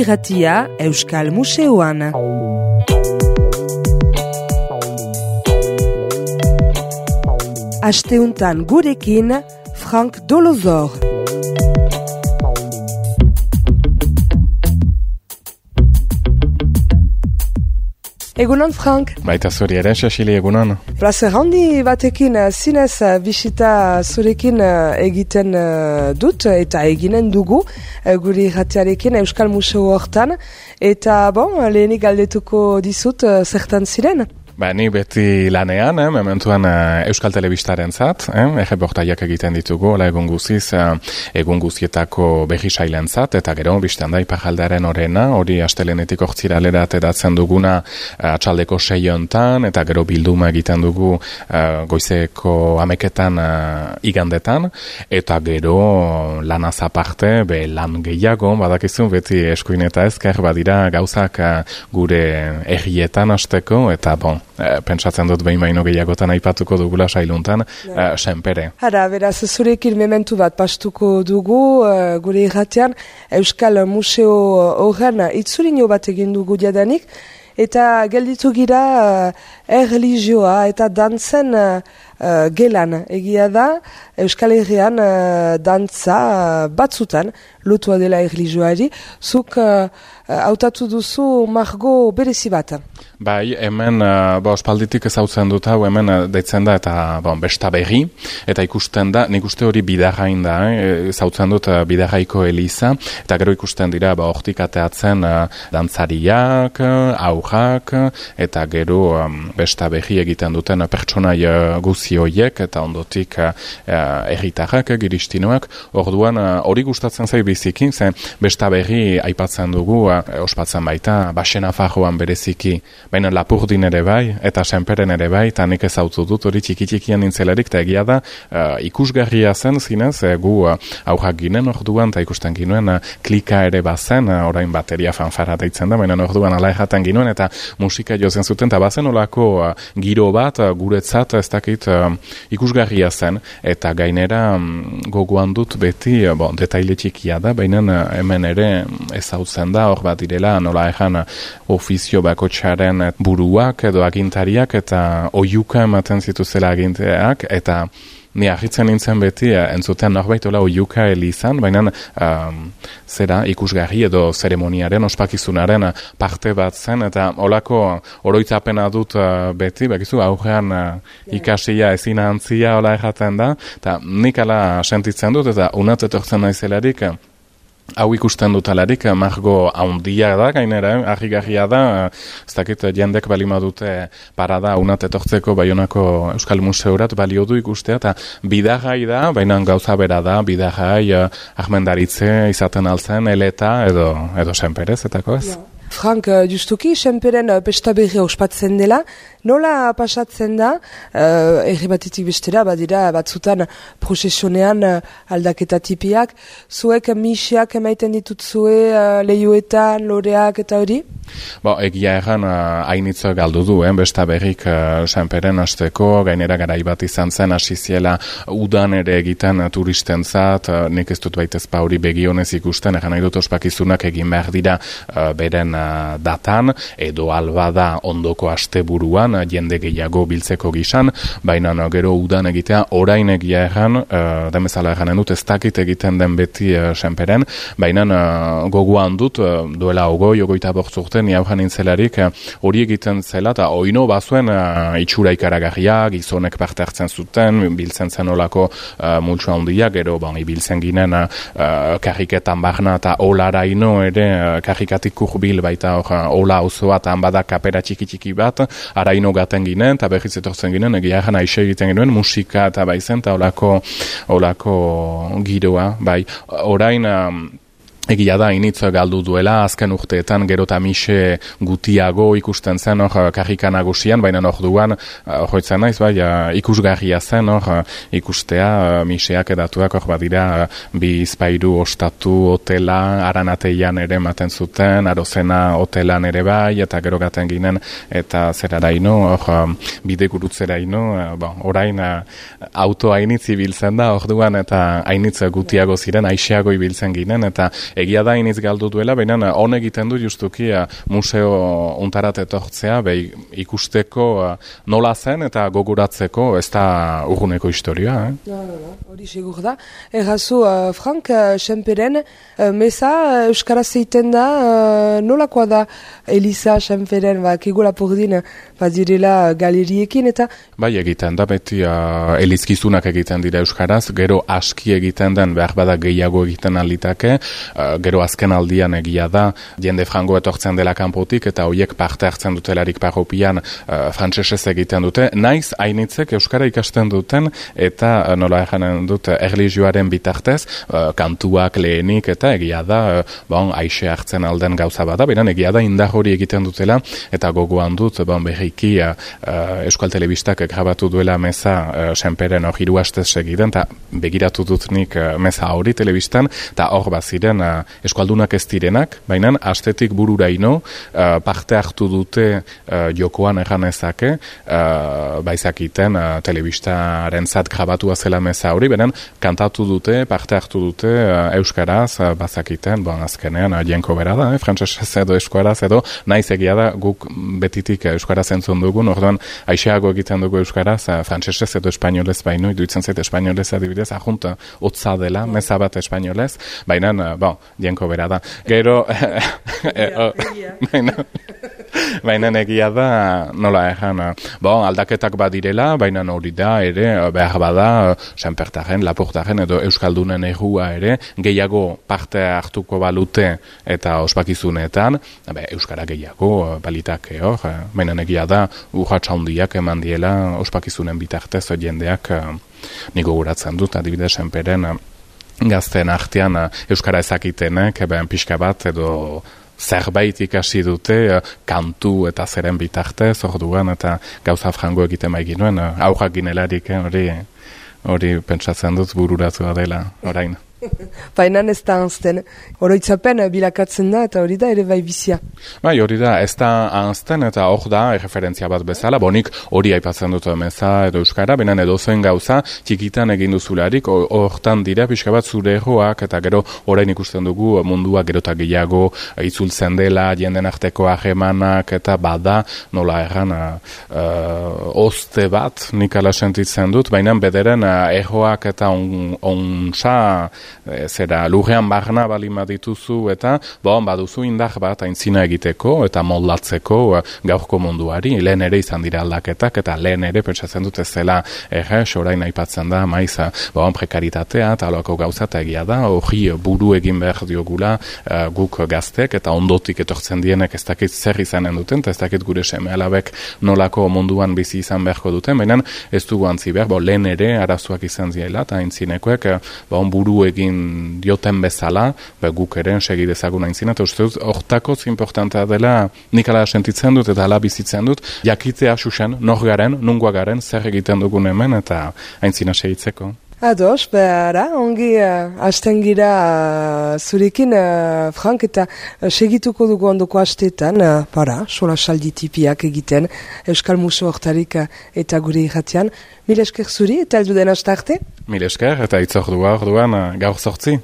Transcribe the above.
irratia Euskal Museoan. Asteuntan gurekin Frank Dolozor. Egunon, Frank. Baita zuri ere, Cecily, egunon. Plazer handi batekin zinez bisita zurekin egiten dut eta eginen dugu gure irratiarekin Euskal Museo hortan. Eta lehenik galdetuko dizut zertan ziren? Ni beti lanean, mementuan Euskal Telebistaren zat, erreportaiak egiten ditugu, egun guzietako berri sailen zat, eta gero, biztan da, Iparraldearen orena, hori astelenetik ortziralera ateratzen duguna atxaldeko 6 hontan, eta gero bilduma egiten dugu goizeko 11etan igandetan, eta gero lanaz aparte, lan gehiago, badakizu, beti eskuin eta ezker, badira gauzak gure herrietan hasteko, eta pentsatzen dut behin baino gehiagotan aipatuko dugula sailuntan, senpere. Beraz, zurekin mementu bat pastuko dugu, gure irratean, Euskal Museo horren itzulino bat egin dugu jadanik, eta gelditu gira erreligioa eta dantzen gelan. Egia da, Euskal Herrian dantza batzutan, lotua dela erreligioari, zuk hautatu duzu margo berezi bat. Bai, hemen ospalditik ezautzen dut hau, hemen deitzen da eta besta berri, eta ikusten da, nik uste hori bidarrain da, ezautzen dut bidarraiko eliza, eta gero ikusten dira hortik ateatzen dantzariak, aurrak, eta gero besta berri egiten duten pertsonai guzi horiek, eta ondotik herritarrak, giristinoak, orduan hori gustatzen zai biziki, ze besta berri aipatzen dugu, ospatzen baita, Baxena Farroan bereziki, baina Lapurdin ere bai, eta Senperen ere bai, eta nik ezautu dut hori txiki-txikian nintzelarik, eta egia da ikusgarria zen zinez, gu aurrak ginen orduan, eta ikusten ginuen klika ere bazen, orain bateria fanfara deitzen da, baina orduan ala erraten ginuen, eta musika jozen zuten, eta bazen olako giro bat, guretzat ez dakit ikusgarria zen, eta gainera gogoan dut beti, detaile txikia da, baina hemen ere ezautzen da, hor bat direla, nola ejan ofizio bakotxaren buruak edo agintariak eta oiuka ematen zituzela aginteak, eta ni ahitzen nintzen beti entzuten norbait ola oiuka elizan, baina zera ikusgarri edo zeremoniaren, ospakizunaren parte bat zen, eta olako oroitzapena dut beti, bakizu aurrean ikasia ezin antzia ola erraten da, eta nik ala sentitzen dut, eta unat etortzen naizelarik, hau ikusten dutalarik, margo haundia da, gainera, argigarria da, ez dakit jendek balima dute parada unat etortzeko Baionako Euskal Museurat balio du ikustea, eta bidarrai da, baina gauza bera da, bidarrai ahmendaritze izaten altzen, eleta edo senperez, etako ez? Frank, justuki, Senperen pesta berri ospatzen dela, nola pasatzen da, erri batetik bestera, badira batzutan prozesionean aldaketa tipiak, zuek misiak emaiten ditutzue lehioetan, loreak eta hori? Egia erran hainitz galdu du, besta berrik Senperen hasteko, gainera garai bat izan zen, hasi ziela udan ere egiten turistentzat, nik ez dut baitezpa hori begionez ikusten, erran nahi dut ospakizunak egin behar dira beren datan, edo albada ondoko asteburuan, jende gehiago biltzeko gisan, baina gero udan egitea, orain egia erran, demezala erranen dut, ez dakit egiten den beti Senperen, baina gogoan dut, duela ogoita bortzurten, ni haujan nintzelarik, hori egiten zela, eta oino bazuen itxura ikaragarria, gizonek parte hartzen zuten, biltzen zen olako multsoa handia, gero ibiltzen ginen karriketan barna, eta olaraino ere karrikatik kurbil baita ola osoa eta bada kapera txiki bat, araino gaten ginen, eta berriz etortzen ginen, egia egan aixe egiten ginen, musika eta baizen, eta olako giroa, bai, orain egia da, initz galdu duela, azken urteetan gero eta mise gutiago ikusten zen karrika nagusian, baina orduan joitzen naiz, ikusgarria zen ikustea miseak edatuak badira bi izpairu ostatu hotela, Aranateian ere ematen zuten, Arozena hotelan ere bai, eta gero gaten ginen, eta zeraraino, bide gurutzeraino, orain auto hainitz ibiltzen da, orduan eta hainitz gutiago ziren, aixeago ibiltzen ginen, eta egia da iniz galdu duela, baina hon egiten du justuki museo untarat etortzea, ikusteko nola zen eta goguratzeko ez da urguneko historia. Hori segur da. Errazu, Frank, Senperen, meza euskaraz zeiten da, nolakoa da Eliza Senperen, kegula pordin, direla galeriekin eta... Bai, egiten da, beti elizkizunak egiten dira euskaraz, gero aski egiten den, behar bada gehiago egiten alitake, gero azken aldian egia da, jende frango etortzen dela kanpotik, eta hoiek parte hartzen dutelarik parropian frantsesez egiten dute, naiz hainitzek euskara ikasten duten, eta nola eganen dut erlijioaren bitartez, kantuak lehenik, eta egia da, aixe hartzen alden gauza bada, beran egia da indar hori egiten dutela, eta gogoan dut, berriki Euskal Telebistak grabatu duela meza Senperen hor 3 astez segiden, eta begiratu dut nik meza hori telebistan, eta hor baziren eskualdunak ez direnak, baina astetik bururaino parte hartu dute jokoan erganezake, baizakiten telebistaren zat grabatua zela meza hori, benen kantatu dute, parte hartu dute euskaraz, bazakiten, azkenean jenko bera da, frantsesez edo euskaraz edo, naiz egia da guk betitik euskaraz entzun dugun, orduan aixeago egiten dugu euskaraz, frantsesez edo espainolez baino, iduitzen zait espainolez adibidez, ajunt hotza dela, meza bat espainolez, baina, jenko bera da. Gero, baina egia da, nola egan, aldaketak badirela, baina hori da, ere, behar bada, Senpertaren, Laportaren edo Euskaldunen errua ere, gehiago parte hartuko balute eta ospakizunetan, euskara gehiago balitake hor, baina egia da, urratsa handiak eman diela ospakizunen bitartez jendeak niko guratzen dut, adibidez Senperen gazten artean euskara ezakitenek, pixka bat edo zerbait ikasi dute kantu eta zeren bitartez, orduan eta gauza frango egiten baiginuen, aurrak ginelarik hori pentsatzen dut bururatua dela orain. Baina ez da anzten. Oroitzapen bilakatzen da eta hori da ere bai bizia. Bai, hori da, ez da anzten eta hor da referentzia bat bezala, bonik hori aipatzen dut meza edo euskara, benen edozen gauza txikitan egin duzularik, hortan dira pixka bat zure erroak eta gero orain ikusten dugu mundua gerota gehiago itzultzen dela, jenden arteko ahemanak eta bada nola erran oste bat nik ala sentitzen dut, baina bederen erroak eta onsa zera lurrean barna balin badituzu eta baduzu indar bat aintzina egiteko eta moldatzeko gaurko munduari, lehen ere izan dira aldaketak eta lehen ere pentsatzen dut ez zela orain aipatzen da maiz prekaritatea eta aloako gauza eta egia da, hori buru egin behar diogula guk gaztek eta ondotik etortzen dienek ez dakit zer izanen duten eta ez dakit gure seme alabek nolako munduan bizi izan beharko duten, baina ez dugu antzi behar, lehen ere arazoak izan ziela eta aintzinekoek buru egin dioten bezala, guk ere segi dezagun aintzina, eta uste dut, hortakoz importantea dela nik ala sentitzen dut eta ala bizitzen dut, jakitzea xuxen, nor garen, nungoa garen, zer egiten dugun hemen eta aintzina segitzeko. Ados, behara, ongi hasten gira zurekin, Frank, eta segituko dugu ondoko hastetan, sola saldi tipiak egiten, Euskal Museo hortarik eta gure irratian. Mil esker zuri, eta heldu den haste arte? Mil esker, eta itzordua orduan gaur 8.